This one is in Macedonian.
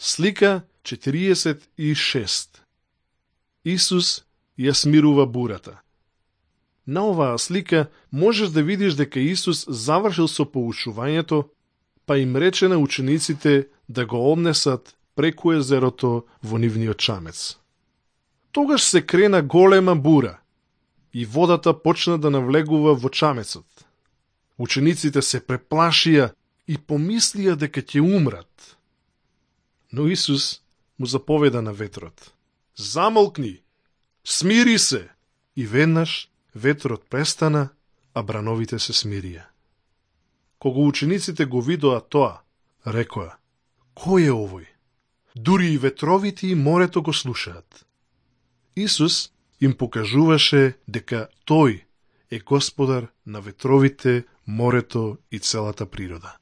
Слика 46. Исус ја смирува бурата. На оваа слика можеш да видиш дека Исус завршил со поучувањето, па им рече на учениците да го однесат преку езерото во нивниот чамец. Тогаш се крена голема бура и водата почна да навлегува во чамецот. Учениците се преплашија и помислија дека ќе умрат. Но Исус му заповеда на ветрот: "Замолкни, смири се!" И веднаш ветрот престана, а брановите се смирија. Кога учениците го видоа тоа, рекоа: "Кој е овој? Дури и ветровите и морето го слушаат." Исус им покажуваше дека Тој е Господар на ветровите, морето и целата природа.